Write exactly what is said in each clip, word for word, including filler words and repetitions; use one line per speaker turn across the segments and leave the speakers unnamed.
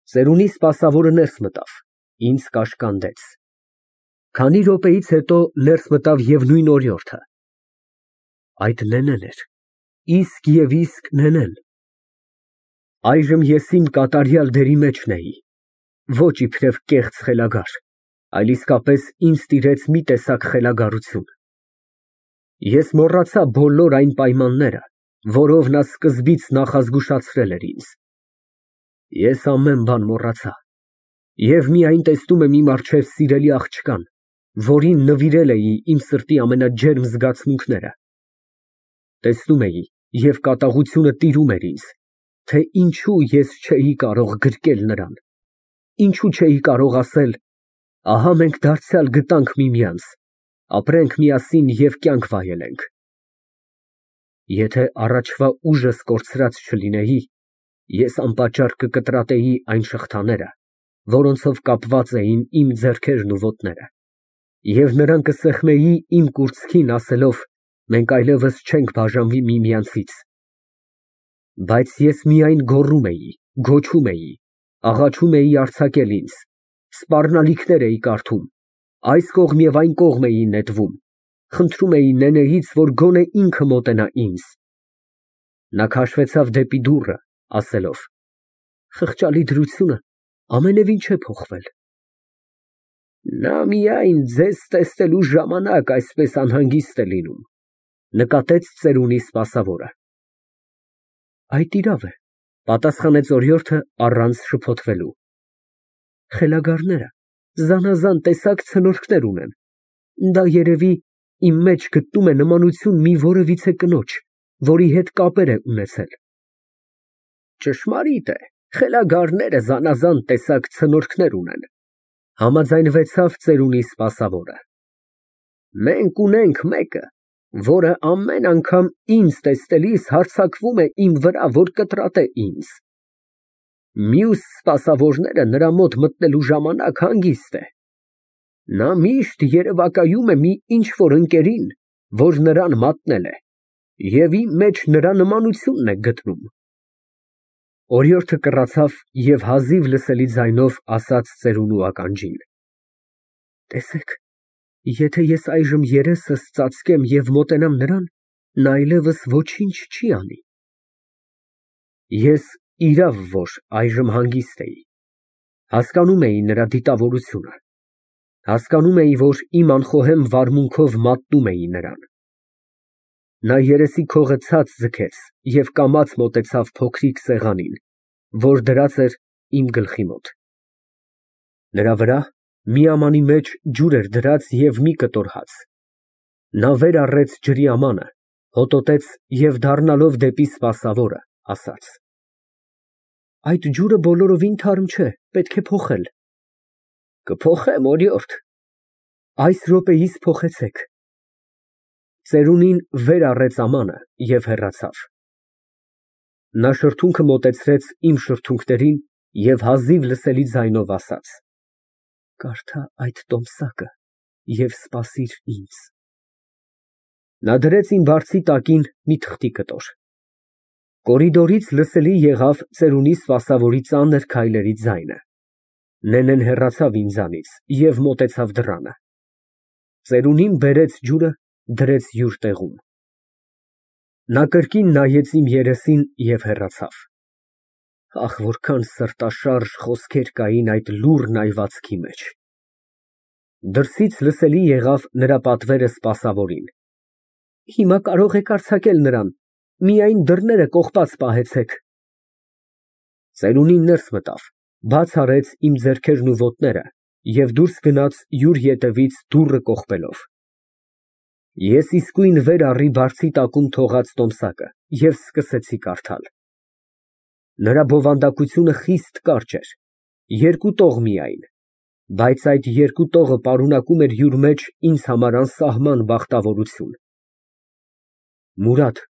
Ծերունի սպասավորը ներս մտավ, ինձ կաշկանդեց։ Քանի րոպեից հետո ներս մտավ և նույն օրիորդը։ Այդ նենեն էր, իսկ և իսկ նենեն։ Այժմ ես իմ կատարյալ դերի մեջն էի, ոչ իբրև կեղծ խելագար, այլ իսկապես ինձ տիրեց մի տեսակ խելագարություն։ Ես մոռացա բոլոր այն պայմանները, որով նա սկզբից նախազգուշացրել էր ինձ։ Ես ամեն բան մոռացա և միայն տեսնում եմ իմ առջև սիրելի աղջկան, որին նվիրել էի իմ սրտի ամենաջերմ զգացմունքները։ Տեսնում էի և կատաղությունը տիրում էր ինձ, թե ինչո՞ւ ես չէի կարող գրկել նրան, ինչո՞ւ չէի կարող ասել. «Ահա մենք դարձյալ գտանք միմյանց, ապրենք միասին և կյանք վայելենք»։ Եթե առաջվա ուժս կորցրած չլինեի, ես անպատճառ կկտրատեի այն շղթաները, որոնցով կապված էին իմ ձեռքերն ու ոտները, և նրան կսեղմեի իմ կուրծքին, ասելով. «Մենք այլևս չենք բաժանվի միմյանցից»։ Բայց ես միայն գոռում էի, գոչում էի, աղաչում էի արձակել ինձ, սպառնալիքներ էի կարդում, այս կողմ և այն կողմ էի նետվում, խնդրում էի նենեից, որ գոնե ինքը մոտենա ինձ։ Նա քաշվեցավ դեպի դուռը, ասելով. «Խղճալի դրությունը ամենևին չէ փոխվել»։ Նա միայն ձեզ տեսնելու ժամանակ այսպես անհանգիստ է լինում, նկատեց ծերունի սպասավորը։ Այդ իրավ է, պատասխանեց օրիորդը առանց շփոթվելու։ Խելագարները զանազան տեսակ ցնորքներ ունեն, դա երևի իմ մեջ գտնում է նմանություն մի որևիցե կնոջ, որի հետ կապեր է ունեցել։ Ճշմարիտ է, խելագարները զանազան տեսակ ցնորքներ ունեն, համաձայնվեցավ ծերունի սպասավորը։ Մենք ունենք մեկը, որը ամեն անգամ ինձ տեսնելիս հարձակվում է իմ վրա, որ կտրատե ինձ։ Մյուս սպասավորները նրա մոտ մտնելու ժամանակ հանգիստ է։ Նա միշտ երևակայում է մի ինչ֊որ ընկերին, որ նրան մատնել է, և իմ մեջ նրա նմանությունն է գտնում։ Օրիորդը կռացավ և հազիվ լսելի ձայնով ասաց ծերունու ականջին. «Տեսեք, եթե ես այժմ երեսս ծածկեմ և մոտենամ նրան, նա այլևս ոչինչ չի անի»։ Ես, իրավ որ, այժմ հանգիստ էի, հասկանում էի նրա դիտավորությունը, հասկանում էի, որ իմ անխոհեմ վարմունքով մատնում էի նրան։ Նա երեսի քողը ցած ձգեց և կամաց մոտեցավ փոքրիկ սեղանին, որ դրած էր իմ գլխի մոտ։ Նրա վրա միամանի մեջ ջուր էր դրած և մի կտոր հաց։ Նա վեր առեց ջրի ամանը, հոտոտեց և դառնալով դեպի սպասավորը, ասաց. Այդ ջուրը բոլորովին թարմ չէ, պետք է փոխել։ Կփոխեմ, օրիորդ։ Այս րոպեիս փոխեցեք։ Ծերունին վեր առեց ամանը և հեռացավ։ Նա շրթունքը մոտեցրեց իմ շրթունքներին և հազիվ լսելի ձայնով ասաց. «Կարդա այդ տոմսակը և սպասիր ինձ»։ Նա դրեց իմ բարձի տակին մի թղթի կտոր։ Կորիդորից լսելի եղավ ծերունի սպասավորի ծանր քայլերի ձայնը։ Նենեն հեռացավ ինձանից և մոտեցավ դռանը։ Ծերունին բերեց ջուրը, դրեց յուր տեղում։ Նա կրկին նայեց իմ երեսին և հեռացավ։ Ահ, որքան սրտաշարժ խոսքեր կային այդ լուռ այվածքի մեջ։ Դրսից լսելի եղավ նրա պատվերը սպասավորին. Հիմա կարող եք արձակել նրան, միայն դռները կողպած պահեցեք։ Ծերունին ներս մտավ, բաց արեց իմ ձեռքերն ու ոտները և դուրս գնաց յուր ետևից դուռը կողպելով։ Ես իսկույն վեր առի բարձի տակում թողած տոմսակը և սկսեցի կարդալ։ Նրա բովանդակությունը խիստ կարճ էր, երկու տող միայն, բայց այդ երկու տողը պարունակում էր յուր մեջ ինձ համար անսահման բախտավորություն։ Մուրադ,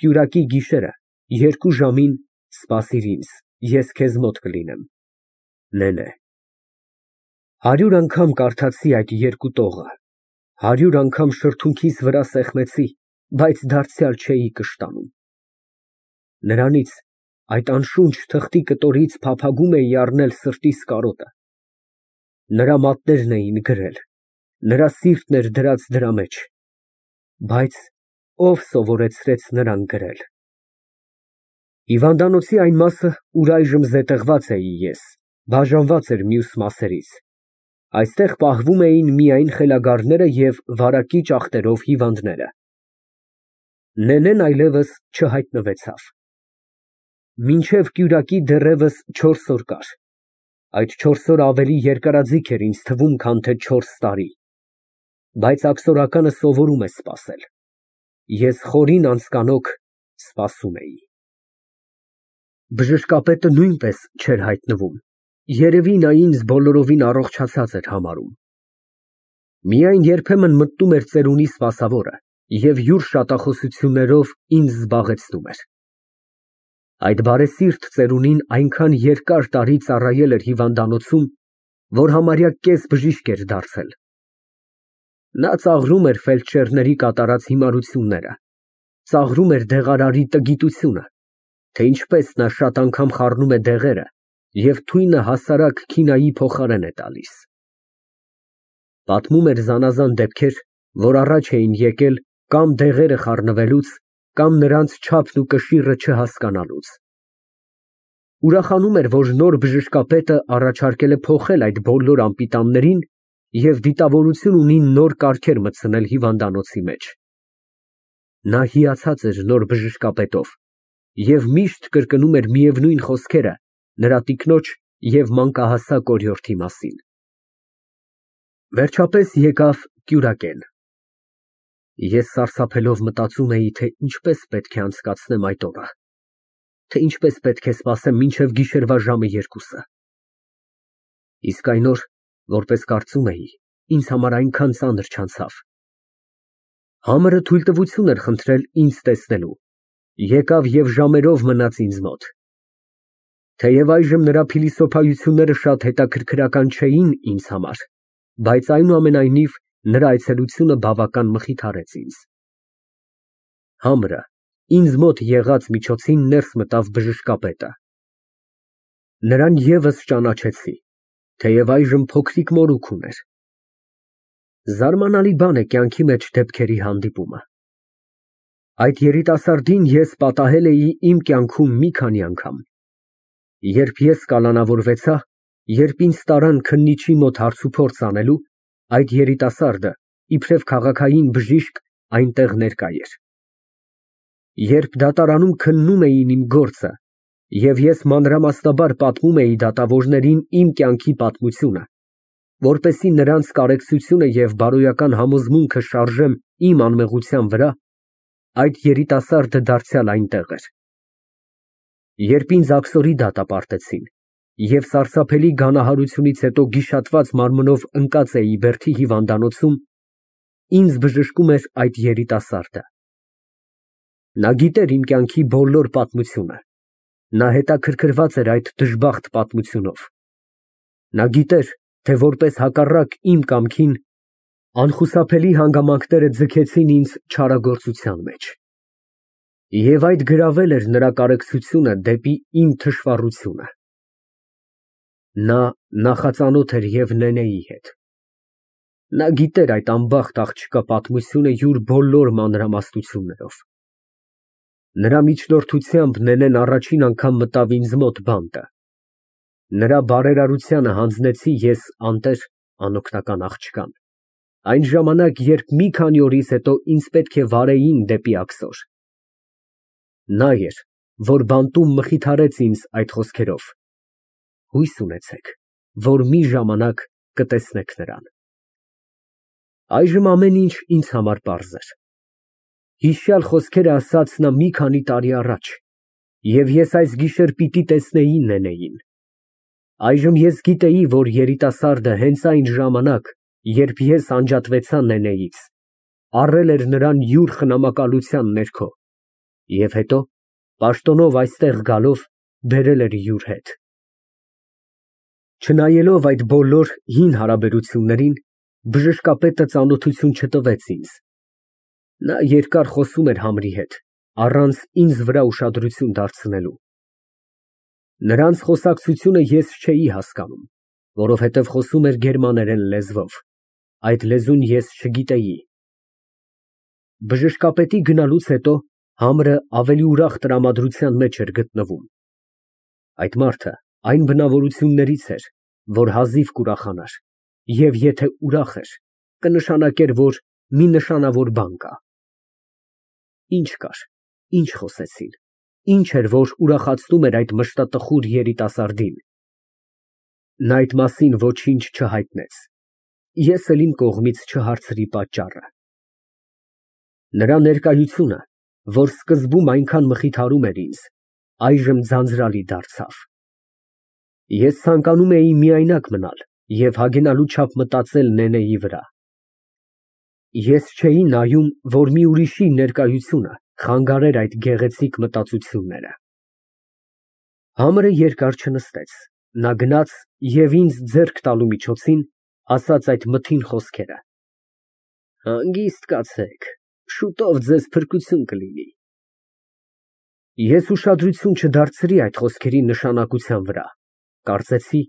կյուրակի գիշերը, երկու ժամին սպասիր ինձ, ես քեզ մոտ կլինեմ։ Նենե։ Հարյուր անգամ կարդացի այդ երկու տողը, հարյուր անգամ շրթունքիս վրա սեղմեցի, բայց դարձյալ չէի կշտանում։ Նրանից այդ անշունչ թղթի կտորից փափագում էի առնել սրտիս կարոտը։ Նրա մատներն էին գրել, նրա սիրտն էր դրած դրա մեջ, բայց ով սովորեցրեց նրան գրել։ Հիվանդանոցի այն մասը, ուր այժմ զետեղված էի ես, բաժանված էր մյուս մասերից, այստեղ պահվում էին միայն խելագարները և վարակիչ ախտերով հիվանդները։ Նենեն այլևս չհայտնվեցավ։ Մինչև կյուրակի դեռևս չորս օր կար, այդ չորս օրը ավելի երկարաձիգ էր ինձ թվում, քան թե չորս տարի, բայց աքսորականը սովորում է սպասել, ես խորին անձկանոք սպասում էի։ Բժշկապետը նույնպես չէր հայտնվում, երևի նա ինձ բոլորովին առողջացած էր համարում։ Միայն երբեմն մտնում էր ծերունի սպասավորը և յուր շատախոսություններով ինձ զբաղեցնում էր։ Այդ բարեսիրտ ծերունին այնքան երկար տարի ծառայել էր հիվանդանոցում, որ համարյա կես բժիշկ էր դարձել։ Նա ծաղրում էր ֆելդշերների կատարած հիմարությունները, ծաղրում էր դեղարարի տգիտությունը, թե ինչպես նա շատ անգամ խառնում է դեղերը և թույնը հասարակ քինայի փոխարեն է տալիս։ Պատմում էր զանազան դեպքեր, որ առաջ էին եկել կամ դեղերը խառնվելուց, կամ նրանց չափն ու կշիռը չհասկանալուց։ Ուրախանում էր, որ նոր բժշկապետը առաջարկել է փոխել այդ բոլոր անպիտաններին և դիտավորություն ունի նոր կարգեր մտցնել հիվանդանոցի մեջ։ Նա հիացած էր նոր բժշկապետով և միշտ կրկնում էր միևնույն խոսքերը նրա տիկնոջ և մանկահասակ օրիորդի մասին։ Վերջապես եկավ կյուրակեն։ Ես սարսափելով մտածում էի, թե ինչպես պետք է անցկացնեմ այդ օրը, թե ինչպես պետք է սպասեմ մինչև գիշերվա ժամը երկուսը։ Իսկ այն օր, որպես կարծում էի, ինձ համար այնքան ծանր չանցավ։ Համարը թույլտվություն էր խնդրել ինձ տեսնելու, եկավ և ժամերով մնաց ինձ մոտ։ Թեև այժմ նրա փիլիսոփայությունները շատ հետաքրքրական չէին ինձ համար, բայց այնուամենայնիվ նրա այցելությունը բավական մխիթարեց ինձ։ Համրը ինձ մոտ եղած միջոցին ներս մտավ բժշկապետը։ Նրան ևս ճանաչեցի, թեև այժմ փոքրիկ մորուք ուներ։ Զարմանալի բան է կյանքի մեջ դեպքերի հանդիպումը։ Այդ երիտասարդին ես պատահել էի իմ կյանքում մի քանի անգամ։ Երբ ես կալանավորվեցա, երբ ինձ տարան քննիչի մոտ հարցուփորձ անելու, այդ երիտասարդը, իբրև քաղաքային բժիշկ, այնտեղ ներկա էր։ Երբ դատարանում քննում էին իմ գործը, և ես մանրամասնաբար պատմում էի դատավորներին իմ կյանքի պատմությունը, որպեսզի նրանց կարեկցությունը և բարոյական համոզմունքը շարժեմ իմ անմեղության վրա, այդ երիտասարդը դարձյալ այնտեղ էր։ Երբ ինձ աքսորի դատապարտեցին, և սարսափելի գանահարությունից հետո գիշատված մարմնով ընկած էի բերդի հիվանդանոցում, ինձ բժշկում էր այդ երիտասարդը։ Նա գիտեր իմ կյանքի բոլոր պատմությունը, նա հետաքրքրված էր այդ դժբախտ պատմությունով։ Նա գիտեր, թե որպես հակառակ իմ կամքին, անխուսափելի հանգամանքները ձգեցին ինձ չարագործության մեջ։ Եվ այդ գրավել էր նրա կարեկցությունը դեպի իմ թշվառությունը։ Նա նախածանոթ էր և Նենեի հետ։ Նա գիտեր այդ անբախտ աղջկա պատմությունը յուր բոլոր մանրամասնություններով։ Նրա միջնորդությամբ Նենեն առաջին անգամ մտավ ինձ մոտ բանտը։ Նրա բարերարությանը հանձնեցի ես անտեր անօգնական աղջկան, այն ժամանակ, երբ մի քանի օրից հետո ինձ պետք է վարեին դեպի աքսոր։ Նա էր, որ բանտում մխիթարեց ինձ այդ խոսքերով. «Հույս ունեցեք, որ մի ժամանակ կտեսնեք նրան»։ Այժմ ամեն ինչ ինձ համար պարզ էր։ Հիշյալ խոսքերը ասաց նա մի քանի տարի առաջ, և ես այս գիշեր պիտի տեսնեի Նենեին։ Այժմ ես գիտեի, որ երիտասարդը հենց այն ժամանակ, երբ ես անջատվեցա Նենեից, առել էր նրան յուր խնամակալության ներքո և հետո, պաշտոնով այստեղ գալով, բերել էր յուր հետ։ Չնայելով այդ բոլոր հին հարաբերություններին, բժշկապետը ծանոթություն չտվեց ինձ։ Նա երկար խոսում էր Համրի հետ, առանց ինձ վրա ուշադրություն դարձնելու։ Նրանց խոսակցությունը ես չէի հասկանում, որովհետև խոսում էր գերմաներեն լեզվով, այդ լեզուն ես չգիտեի։ Բժշկապետի գնալուց հետո համրը ավելի ուրախ տրամադրության մեջ էր գտնվում։ Այդ մարդը այն բնավորություններից էր, որ հազիվ կուրախանար, և եթե ուրախ էր, կնշանակեր, որ մի նշանավոր բան կա։ Ինչ կար, ինչ խոսեցին, ինչ էր, որ ուրախացնում էր այդ մշտատխուր երիտասարդին։ Նա այդ մասին ոչինչ չհայտնեց, ես էլ իմ կողմից չհարցրի պատճառը։ Նրա ներկայությունը, որ սկզբում այնքան մխիթարում էր ինձ, այժմ ձանձրալի դարձավ։ Ես ցանկանում էի միայնակ մնալ և հագենալու չափ մտածել Նենեի վրա։ Ես չէի նայում, որ մի ուրիշի ներկայությունը խանգարեր այդ գեղեցիկ մտածությունները։ Համրը երկար չնստեց, նա գնաց և ինձ ձեռք տալու միջոցին, ասաց այդ մթին խոսքերը. «Հանգիստ կացեք, շուտով ձեզ փրկություն կլինի»։ Ես ուշադրություն չդարձրի այդ խոսքերի նշանակության վրա, կարծեցի,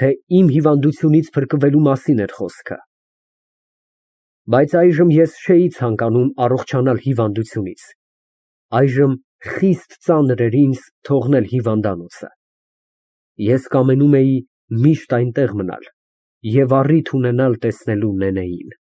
թե իմ հիվանդությունից փրկվելու մասին էր խոսքը։ Բայց այժմ ես չէի ցանկանում առողջանալ հիվանդությունից, այժմ խիստ ծանր էր ինձ թողնել հիվանդանոցը։ Ես կամենում էի միշտ այնտեղ մնալ և առիթ ունենալ տեսնելու Նենեին։